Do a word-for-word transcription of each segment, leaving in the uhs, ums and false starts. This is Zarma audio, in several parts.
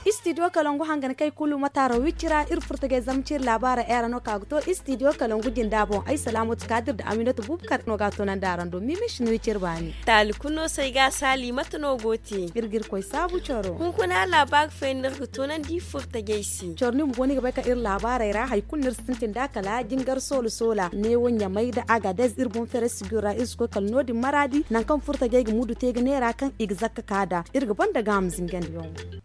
Istidiyo kalangu hangan kay kulu mataaro wicci ra iri furtajey zamci iri laabaara era no ka ga to istidiyo kalangu jinda boŋ ay salaamatu kaadir da aminatu bubakar no ga a toonandi araŋ do mimish ni wicci iri baani. Taali kulu no se ay ga a saali mate no go te? Iri ga iri koy saabu coro. Hunkuna laabaari fooyaŋ no iri ga toonandi furtajey se. Coro ni ma go ni ga bay kaŋ iri laabaarey ra hari kulu no iri sintin nd'a kala jingar soola soola neewo ɲamay nda agadez iri boŋ feere sijur ra iri si koy kala no- din maraadi nangu kaŋ furtajey ga mudu te ga neera kaŋ i ga zakka ka nd'a iri ga banda gaaham zingandiyaŋo.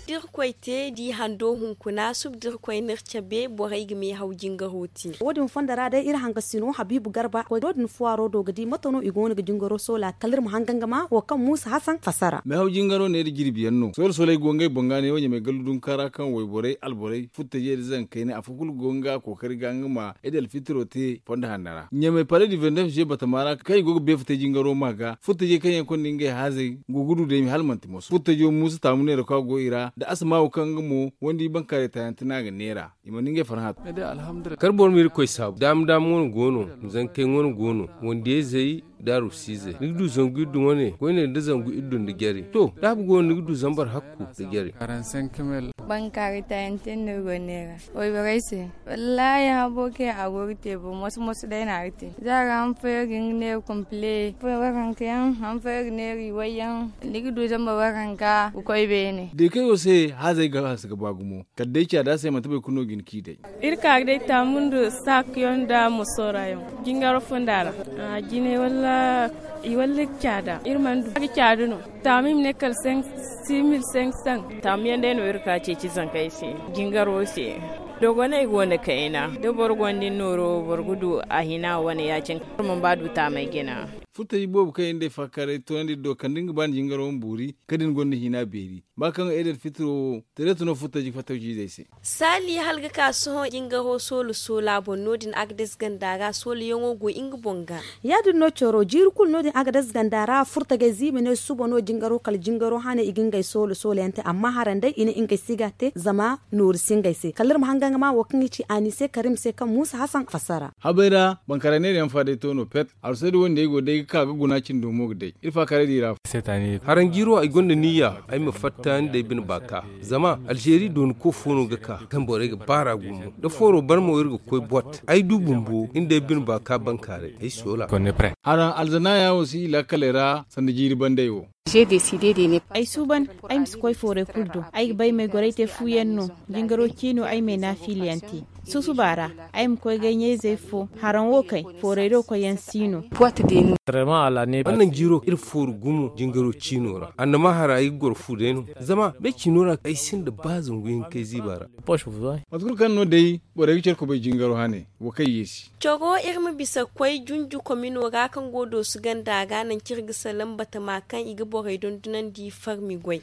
Da iri koy te da i hando hunkuna suba da iri koy no iri cabe borey ga meehaw jingaro te. Wo- din fondo ra day iri hangasino habiibu garba koy no- din fuwaaro do ga di mate no i go no ga jingaro soola kala iri ma hanga nga ma wo kaŋ muusa hasan fasara. Meehaw jingaro ne da jirbi yaŋ no soola soola ay go ngey boŋ ga ne wo ɲamay gallu dunka ra kaŋ wayborey alborey furtajey da zankayne afo kulu go nga kookari ga nga ma idal fitiro te fondo hanno ra ɲamay pare du vendef je batama ra kaŋ i go ga beefa te jingaro ma ga furtajey kaŋ yaŋ konda ngey haazey go ga du day hala manti moso furtajo muusa taamu neera kaŋ a go i ra da asama wo kaŋ nga mo wandi bankaarey taayaŋ te no a ga neera i mana ngey farhã. Kar boro ma iri koy saabu daama daama wane go no zankey wane go no wandiyayzey da arusiizey ni ga du zangu iddu wane koyne nda zangu iddu nda jare to da a ga go no ni ga du zambar hakku nda jare. Bankaari tayante no iri go neera wayborey se. Wallaahi habo kaŋ a go ga te bo moso moso day no a ga te za a ga han fooyaŋ ga nga neera kompile fooyaŋ waranka yaŋ han fooyaŋ ga neera iway yaŋ ni ga du zambar waranka ga koy beene. Day kaŋ ay wo se haazey ga hanse ga ba gumo kala day caada se manti boro kulu no ga hin k'i day. Iri ka ga day taamu nda saaku yaŋ nda mosoora yaŋ jingaro fonda ra. A jinay walla i walla caada iri mana du a ga caada no. Taamu i ma ne kala senk simil senk san. Taamu yaŋ day no iri ka ceeci zankey se jingaro se. Dogoney go no kayna da boro gonda ni nooro boro ga du a hina wane ya- cine kala boro mana ba du taamey jina. Furtaji boobo kaŋ iri nda ay faakaaray toonandi iri do kala da ni ga ba ni jingaro ma boori kala da ni gonda hina beeri ba kaŋ eedel fitiro wo. Tereeto no furtaji fattawciizey se. Saali hala ga ka sohõ jingaro soola soola boŋ no- din agades ganda ra soolayaŋo go nga boŋ ga. Ya- din no coro jiiri kulu no- din agades ganda ra furtajey ziibi ne suba no jingaro kala jingaro hane i ga ngey soola soola yaŋ te amma haranday i ne ngey si ga a te zama nooru si ngey se kala iri ma hanga nga ma wo kaŋ i ci anise karim se kaŋ muusa hasan fassara. Habay ra bankaray neera yaŋ fa day to no pet. Arsay da wandiyey go day ga ka ga guna cindo mo ga day iri faakaaray di ra. Haranjiiro ay gonda niyya ay ma fatta ni day bine baaka. Zama alzeeri doonako fo no ga ka kaŋ borey ga baar'a gumo da fooro barmo iri ga koy bot ay du bumbo ni day bine baaka bankaaray ay soola. Haraŋ alzanaaya wo si i laakaley ra sanda jiiri banday wo. Ay suuban ay ma si koy foorey kulu do. Ay ga bay m'ay goray te fu yaŋ no. Jingaro ciino ay m'ay naafiila yaŋ te. Susuba ra ay ma koy gay ɲayzey fo haraŋ wo kay foorey do koyyaŋ si no. Annan jiiro iri fooru gumo jingaro ciino ra annama hara ay ga goro fu day no. Zama bay ciino ra ay sinda ba zangu yaŋ kay ziiba ra. Mate kulu kaŋ no day borey ga care kubay jingaro hane wo kaŋ yeesi. Coro iri ma bisa koy junju komino ra kaŋ go doosu ganda ra nangu kaŋ iri ga salaŋ batama kaŋ i ga borey dondonandi farmi goy.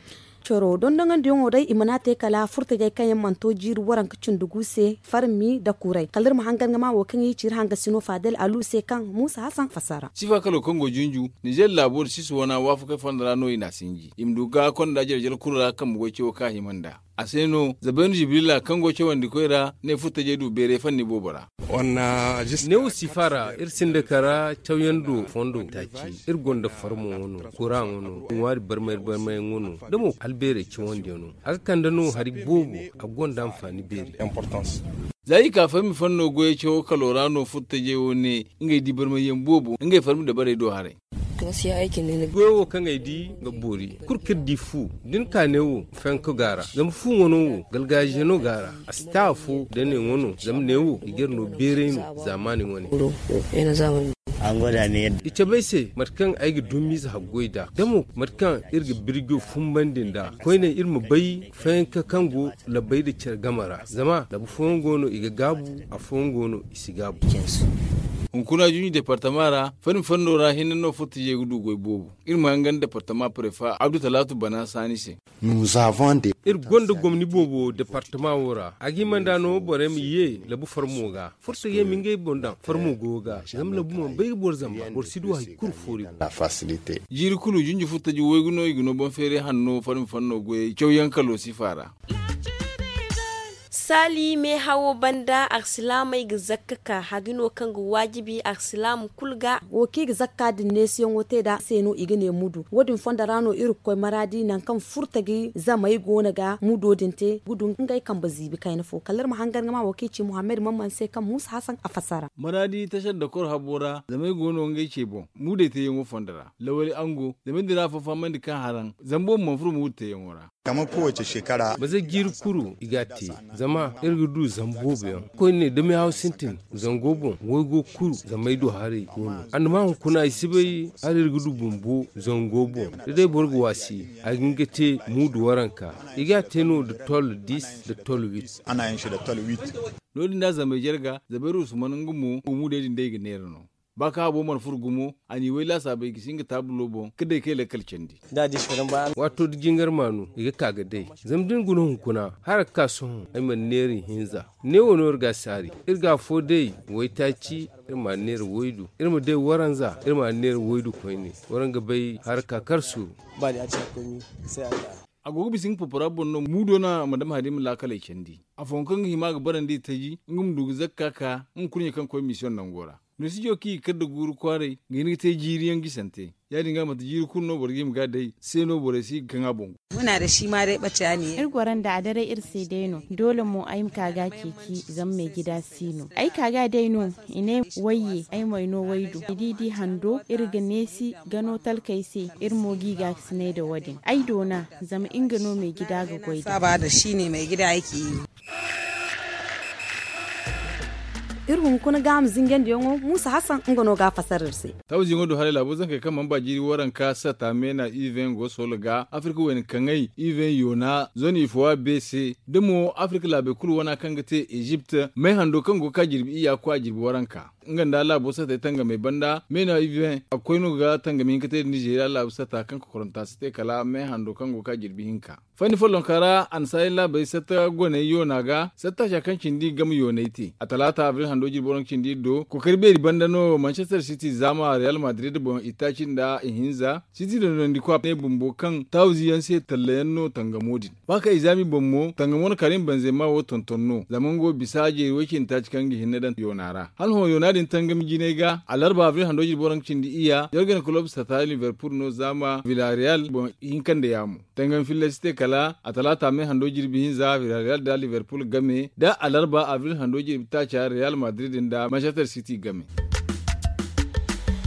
Coro dondonandiyaŋo day i mana te kala furtajey kaŋ yaŋ mana to jiiri waranka cindi gu se farmi nda kuray kala iri ma hangan ga ma wo kaŋ i ci iri hangasino fadel alu se kaŋ muusa hasan fassara. Sifa kalo kaŋ go junju nizer laabo nda sisi wana waafakey fondo ra no i n'a sinji i ma du ga konda jarjar kulu ra kambe goy cawo kaŋ a hima nd'a. A se no zabaynu jibrila kaŋ go cawandi koy ra ne furtajey du beeray fanni boobo ra. Neewo sifa ra iri sinda kara cawyaŋ do fondo taaci iri gonda farmo wano kuraŋo no ŋwaari barmay barmayaŋo no da mo albeerey cawandiyaŋo a ga kande no hari boobo a gonda anfaani beeri. Za i ka farmi fanno goyey cawo kalo ra no furtajey wo ne ngey di barmayyaŋ boobo ngey farmi dabarey do haray. Goyo wo kaŋ ay di ga boori kulu kaŋ iri di fu da ni ka ne wo fenko ga a ra zama fu wano wo galgaaze no ga a ra. A si ta afo da ne wano zama ne wo i ga iri no beeray no zaamaani wane. I cabe ay se mate kaŋ ay ga dumiize haggoy nd'a da mo mate kaŋ iri ga birjo fumbandi nd'a koyne iri ma bay fayanka kaŋ go labbey nda care game ra zama labba fooyaŋ go no i ga gaabu afooyaŋ go no i si gaabu. Hunkuna junju departama ra, fanni fanno ra hinne no furtajey ga du goy boobo. Iri ma hangan departama prefa abdu talaatu bana saani se. Iri gonda gomni boobo departama wo ra. A ga hima nd'a no borey ma ye labu farmo ga. Furtajey ma ngey boŋ daŋ farmo goyo ga, zama labu mana bay ga boro zamba, boro si du hari kulu foori. Jiiri kulu junju furtaji waygu no i ga no boŋ feeray hanno farmi fanno goyey cawyaŋ kalo sifa ra. Saali meehawo banda arsilaamey ga zakka ka hari no kaŋ ga waajibi arsilaamu kulu ga. Wo kaŋ i ga zakka din neesiyaŋo te nd'a se no i ga ne mudu wo- din fondo ra no iri ga koy maraadi nangu kaŋ furtaji zamey go no ga mudo din te ga du ngey kambe ziibi kayna fo kala iri ma hangan ga ma wo kaŋ i ci muhammad mamman se kaŋ muusa hasan a fassara. Maraadi tasadda koro habo ra zamey go no ngey ce boŋ. Muudey teeyaŋo fondo ra lawali ango zamey din ra afo fahamandi kaŋ haraŋ zambo ma mana furo muudu teeyaŋo ra. Maza jiiri kuru i ga a te. Zama iri ga du zama boobo yaŋ koyne da meehaw sintin zango boŋ waygo kuru zamey do haray go no. Annama hunkuna i si bay hala iri ga du bumbo zango boŋ. Da day boro ga waasi a ga hin ga te muudu waranka. I ga a te no nda tol dis nda tol wit. No- din da zamey jarga zabay ruusu mana nga mo nga muudey din day ga neera no. Ba kaŋ habo mana furo gumo a n'i way laasaabey gisi nga taabulo boŋ ga day kay lakkal candi. Waato da jingar maanu i ga ka ga day. Zama da ni guna hunkuna hala ga ka sohõ ay mana neera ihinza. Neewo no iri ga a saari. Iri ga afo day waytaaci. Iri ma a neera waydu iri ma day waranza iri ma a neera waydu koyne. Waranga bay hala ga ka kar suuru. A go ga bisa nga popora boŋ no muudo no a ma dama hari ma laakaley candi. Afooyaŋ kaŋ ga hima ga barandi i taji nga ma du ga zakka ka nga kurɲe kaŋ ga koy misiyoŋ nango ra. Noosijo kaŋ i ga kar nda guuru kwaaray ga hin ga te jiiri yaŋ gisante. Ya- din ga manti jiiri kulu no boro ga hima ga a day se no borey si ga kaŋ a boŋ. Iri goro nda a daray iri se day no doole mo ay ma ka ga a ceeci. Zama meejida si no ay ka ga a day no. I ne wayye ay mo ay no waydu i di di hando iri ga neesi gano talkey se. Iri mo g'i ga a ga sinay nda wo- din ay doona. Zama nga no meejida ga goy da. Iri hunkuna gaaham zinjandiyaŋo muusa hasan nga no ga a fasar iri se. Tawziyaŋo do haray laabo zankey kaŋ mana ba jiiri waranka sata meena iven go soola ga afirka wayna kaŋay iven yoona zone ifowa beese da mo afirka laabey kulu wana kaŋ ga te ezipt may hando kaŋ go ga ka jirbi iyya kwa jirbi waranka. Nga nda laabo satey tangamey banda meena iven a ga koy no ga tangami hinka te nda nizeeriya laabo sata kaŋ kokoranta si te kala may hando kaŋ go ga ka jirbi hinka. Fanni follonka ra annasaarey laabey satta goney yoona ga satta ca kaŋ cindi game yooney te a talaata abril hando jirbi waranka cindi iri do kookari beeri banda no manchester city zaama real madrid boŋ itaaci nda ihinza. City dondondikwa ne bumbo kaŋ tawzi yaŋ se talla yaŋ no tangamo din. Ba kaŋ i zaami boŋ mo tangamo na karim banzema wo tonton no zama nga wo bisa jeeri way cindi taaci kaŋ ga hinne daŋ yoona ra hala hõ yoona din tangami jinay ga alarba abril hando jirbi waranka cindi iyya jorgen kulob sata liverpool no zaama villarreal boŋ hinka nda yaamo. Tangam filla si te kala a talaata me hando jirbi hinza villarreal da liverpool game da alarba abril hando jirbi taaca real madrid nda manchester city game.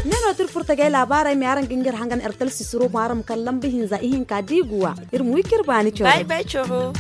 Ne no tira furtagay laabaarey me araŋ ga ngir hangan ertel sisiro boŋ araŋ ma kala lamba hinza ihinka diiguwa. Iri ma wi k'iri baani coro.